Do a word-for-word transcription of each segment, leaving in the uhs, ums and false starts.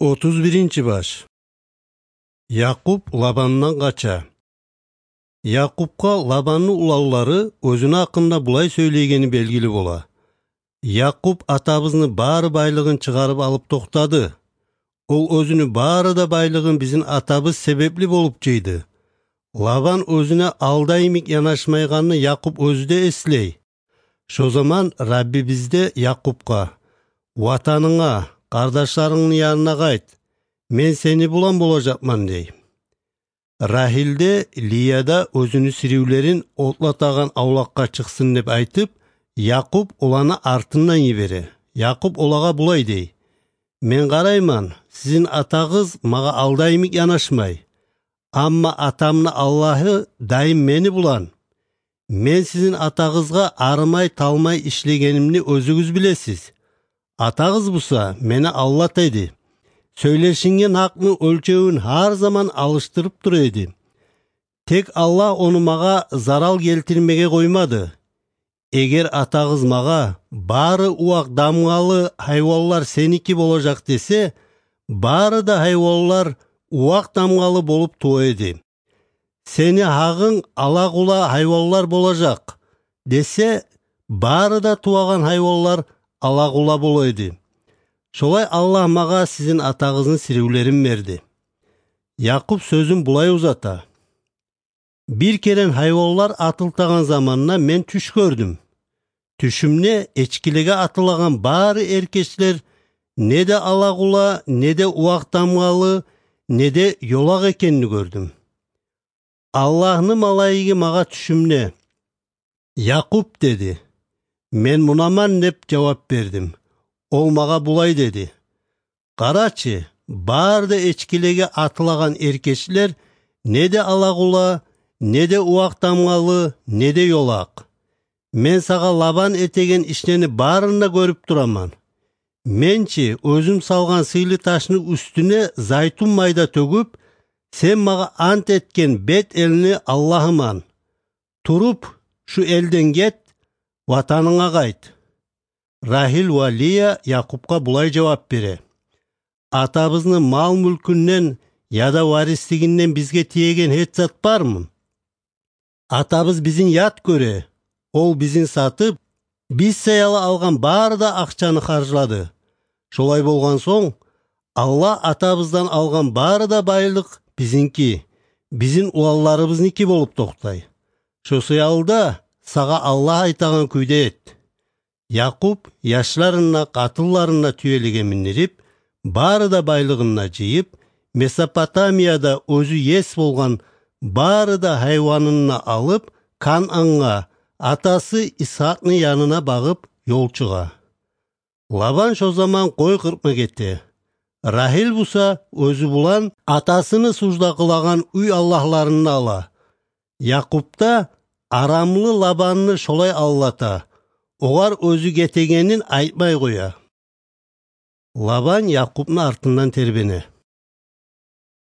Отуз биринчи баш. Якъуб Лабандан къача. Якъубгъа Лабанны уланлары оьзюню гьакъында булай сёйлейгени белгили бола: «Якъуб атабызны бары байлыгъын чыгъарып алып токътады. Ол оьзюню бары да байлыгъын бизин атабыз себепли болуп жыйды». Лабан оьзюне алда йимик янашмайгъанны Якъуб оьзю де эслей. Шо заман Рабби бизде Якъубгъа: «Ватанынга, къардашларынгны янына къайт. Мен сени булан болажакъман», — дей. Рагьил де, Лия да оьзюню сиривлерин отлатагъан авлакъгъа чыкъсын деп айтып, Якъуб оланы артындан йибере. Якъуб олагъа булай дей: «Мен къарайман, сизин атагъыз магъа алда йимик янашмай. Амма атамны Аллагьы дайым мени булан. Мен сизин атагъызгъа арымай-талмай ишлегенимни оьзюгюз билесиз. Атагъыз буса мени алдата эди. Сёйлешинген гьакъны оьлчевюн гьар заман алышдырып тура эди. Тек Аллагь ону магъа зарал гелтирмеге къоймады. Эгер атагъыз магъа: „Бары увакъ дамгъалы гьайванлар сеники болажакъ“, — десе, бары да гьайванлар увакъ дамгъалы болуп тува эди. „Сени гьагъынг ала-къула гьайванлар болажакъ“, — десе, бары да тувагъан гьайванлар ала-къула бола эди. Шолай Аллагь магъа сизин атагъызны сиривлерин берди». Якъуб сёзюн булай узата: «Бир керен гьайванлар атылтагъан заманда мен тюш гёрдюм. Тюшюмде эчкилеге атылагъан бары эркечлер не де ала-къула, не де увакъ дамгъалы, не де ёлакъ экенни гёрдюм. Аллагьны малайиги магъа тюшюмде: „Якъуб“, — деди. Мен: „Мунаман“, — деп жавап бердим. Ол магъа булай деди: „Къарачы, бары да эчкилеге атылагъан эркечлер не де ала-къула, не де увакъ дамгъалы, не де ёлакъ. Мен сагъа Лабан этеген ишлени барын да гёрюп тураман. Мен чи оьзюм салгъан сыйлы ташны уьстюне зайтун майда тёгюп, сен магъа ант этген бет элни Аллагьыман. Туруп, шу элден гет, ватанынга къайт». Рагьил ва Лия Якъубгъа булай жавап бере: «Атабызны мал-мюлкюнден яда варислигинден бизге тиеген гьеч зат бармы? Атабыз бизин ят гёре, ол бизин сатып, биз саялы алгъан бары да акъчаны харжлады. Шолай болгъан сонг, Аллагь атабыздан алгъан бары да байлыкъ бизинки, бизин уланларыбызники болуп токътай. Шо саялы да сагъа Аллагь айтагъан кюйде эт». Якъуб яшларын да, къатынларын да тюелеге миндирип, бары да байлыгъын да жыйып, Месопотамияда оьзю ес болгъан бары да гьайванын да алып, Канангъа, атасы Исгьакъны янына багъып ёл чыгъа. Лабан шо заман къой къыркъма гете. Рагьил буса оьзю булан атасыны сужда къылагъан уьй аллагьларын да ала. Якъуб да арамлы Лабанны шолай алдата, огъар оьзю гетегенин айтмай къоя. Лабан Якъубну артындан тербене.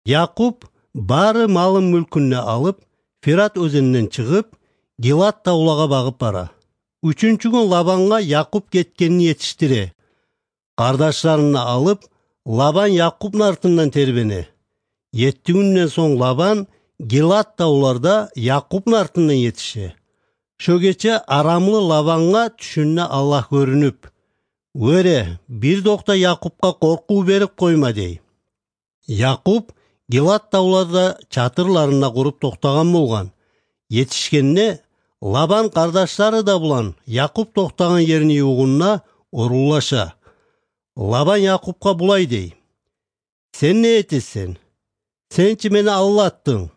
Якъуб бары малын-мюлкюн де алып, Фират оьзенинен чыгъып, Гилад тавлагъа багъып бара. Уьчюнчю гюн Лабангъа Якъуб гетгенни етишдире. Къардашларын да алып, Лабан Якъубну артындан тербене. Етти гюнден сонг Лабан Гилад тавларда Якъубну артындан етише. Шо гече арамлы Лабангъа тюшюнде Аллагь гёрюнюп: «Вёре, бир докъда Якъубгъа къоркъув берип къойма», — дей. Якъуб Гилад тавларда чатырларын да къуруп токътагъан болгъан. Етишгенде, Лабан къардашлары да булан Якъуб токътагъан ерни ювугъунда орунлаша. Лабан Якъубгъа булай дей: «Сен не этесен? Сен чи мени алдатдынг.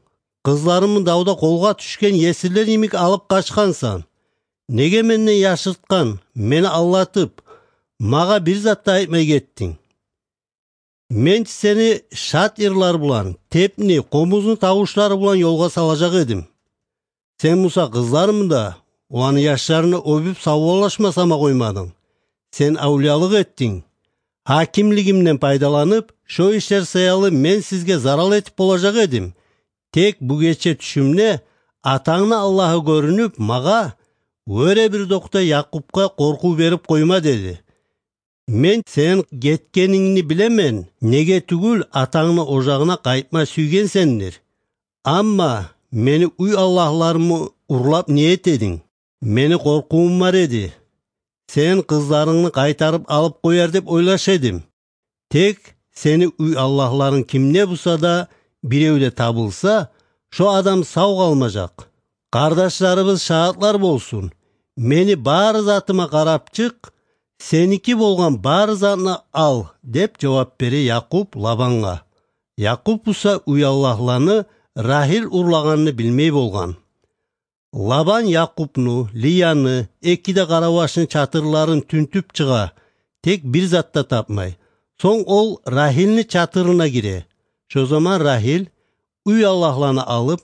Къызларымны давда къолгъа тюшген есирлер йимик алып къачгъансан. Неге менден яшыртгъан, мени алдатып, магъа бир зат да айтмай гетдинг? Мен чи сени шат йырлар булан, тепни, къомузну тавушлары булан ёлгъа салажакъ эдим. Сен буса къызларымны да, оланы яшларын да оьбюп савболлашма сама къоймадынг. Сен авлиялыкъ этдинг. Гьакимлигимден пайдаланып, шо ишлер саялы мен сизге зарал этип болажакъ эдим. Тек бу гече тюшюмде атангны Аллагьы гёрюнюп магъа: „Вёре, бир докъда Якъубгъа къоркъув берип къойма“, — деди. Мен сен гетгенингни билемен, неге тюгюл атангны ожагъына къайтма сюйгенсендир. Амма мени уьй аллагьларымны урлап не этединг? Мени къоркъувум бар эди. Сен къызларынгны къайтарып алып къояр деп ойлаша эдим. Тек сени уьй аллагьларынг кимде буса да биревде табылса, шо адам сав къалмажакъ. Къардашларыбыз шагьатлар болсун. Мени бары затыма къарап чыкъ, сеники болгъан бары затны ал, — деп жавап бере Якъуб Лабангъа. Якъуб буса уьй аллагьланы Рагьил урлагъанны билмей болгъан. Лабан Якъубну, Лияны, эки де къаравашны чатырларын тюнтюп чыгъа, тек бир зат да тапмай. Сонг ол Рагьилни чатырына гире. Шо заман Рагьил уьй аллагьланы алып,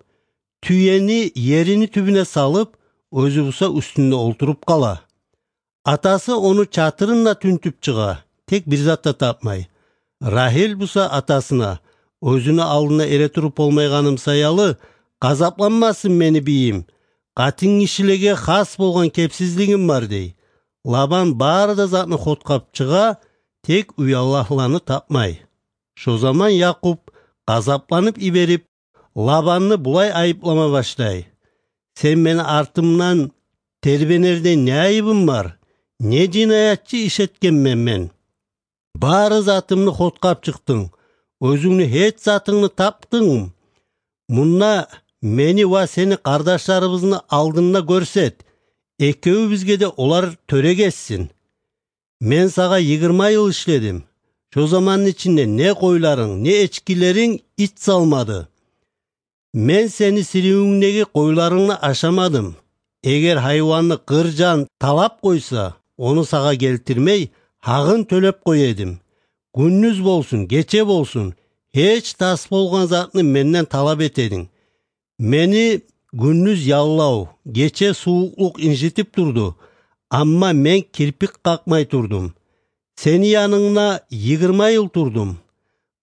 тюени ерини тюбюне салып, оьзю буса уьстюнде олтуруп къала. Атасы ону чатырын да тюнтюп чыгъа, тек бир зат да тапмай. Рагьил буса атасына: «Оьзюню алдында эретуруп болмайгъаным саялы, къазапланмасын мени бийим. Къатынгишилеге хас болгъан кепсизлигим бар», — дей. Лабан бары да затны хоткъап чыгъа, тек уьй аллагьланы тапмай. Шо заман Якъуб къазапланып йиберип, Лабанны булай айыплама башлай: «Сен мени артымдан тербенердей не айыбым бар? Не жинаятчы иш этгенмен мен? Бары затымны хоткъап чыкъдынг, оьзюнгню гьеч затынгны тапдынгмы? Мунда мени ва сени къардашларыбызны алдында гёрсет, экевюбюзге де олар тёрек этсин. Мен сагъа йигирма йыл ишледим. Шо заманны ичинде не къойларынг, не эчкилеринг ит салмады. Мен сени сиривюнгдеги къойларынгны ашамадым. Эгер гьайванны къыр жан талап къойса, ону сагъа гелтирмей, гьагъын тёлеп къоя эдим. Гюндюз болсун, гече болсун, гьеч тас болгъан затны менден талап эте эдинг. Мени гюндюз яллав, гече сувукълукъ инжитип турду, амма мен кирпик къакъмай турдум. Сени янынгда йигирма йыл турдум.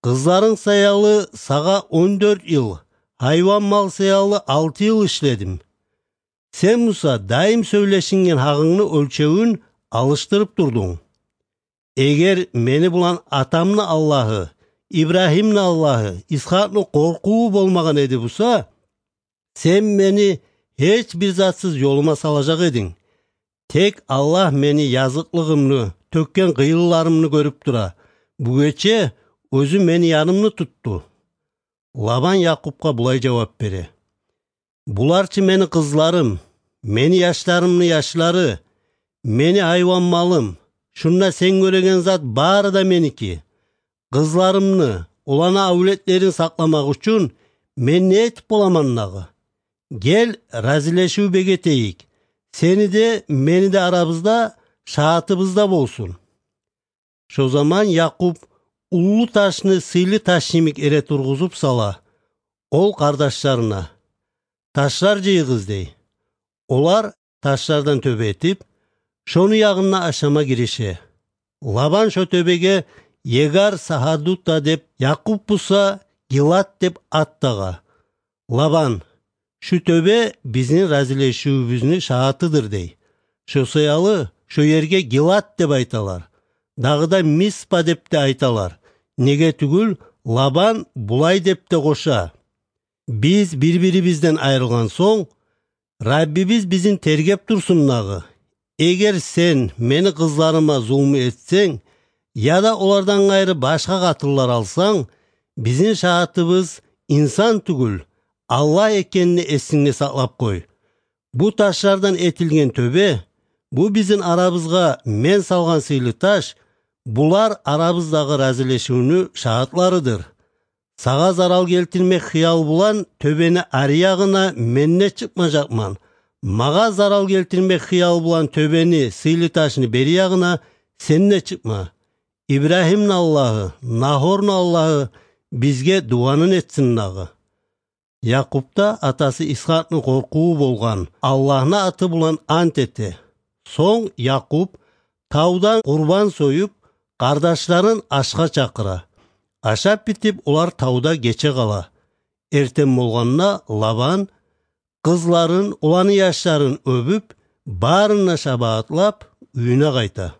Къызларынг саялы сагъа он дёрт йыл, гьайван-мал саялы алты йыл ишледим. Сен буса дайым сёйлешинген гьагъынгны оьлчевюн алышдырып турдунг. Эгер мени булан атамны Аллагьы, Ибрагьимни Аллагьы, Исхакъны къоркъуву болмагъан эди буса, сен мени гьеч бир затсыз ёлума салажакъ эдинг. Тек Аллагь мени языкълыгъымны, тёкген къыйынларымны гёрюп тура. Бу гече оьзю мени янымны тутду». Лабан Якъубгъа булай жавап бере: «Булар чы мени къызларым, мени яшларымны яшлары, мени гьайван-малым. Шунда сен гёреген зат бары да меники. Къызларымны, оланы авлетлерин сакъламакъ учун мен не этип боламан дагъы? Гел, разилешив бегетейик. Сени де, мени де арабызда шагьатыбыз да болсун». Шо заман Якъуб уллу ташны сыйлы таш йимик эре тургъузуп сала. Ол къардашларына: «Ташлар жыйыгъыз», — дей. Олар ташлардан тёбе этип, шону ягъында ашама гирише. Лабан шо тёбеге Егар-Сагьадута деп, Якъуб буса Гилад деп ат тагъа. Лабан: «Шу тёбе бизин разилешивюбюзню шагьатыдыр», — дей. Шо саялы шо ерге Гилад деп айталар. Дагъы да Миспа деп де айталар. Неге тюгюл, Лабан булай деп де къоша: «Биз бир-бирибизден айрылгъан сонг, Раббибиз бизин тергеп турсун дагъы. Эгер сен мени къызларыма зулму этсенг, яда олардан къайры башгъа къатынлар алсанг, бизин шагьатыбыз инсан тюгюл, Аллагь экенни эсингде сакълап къой. Бу ташлардан этилген тёбе, бу бизин арабызгъа мен салгъан сыйлы таш, булар арабыздагъы разилешивню шагьатларыдыр. Сагъа зарал гелтирмек хыял булан тёбени ари ягъына мен де чыкъмажакъман. Магъа зарал гелтирмек хыял булан тёбени, сыйлы ташны бери ягъына сен де чыкъма. Ибрагьимни Аллагьы, Нагьорну Аллагьы бизге дуванын этсин дагъы». Якъубда атасы Исхакъны къоркъуву болгъан Аллагьны аты булан ант эте. Сонг Якъуб тавдан къурбан союп, къардашларын ашгъа чакъыра. Ашап битип, олар тавда гече къала. Эртен болгъанда Лабан къызларын, оланы яшларын оьбюп, барын да шабагъатлап, уьюне къайта.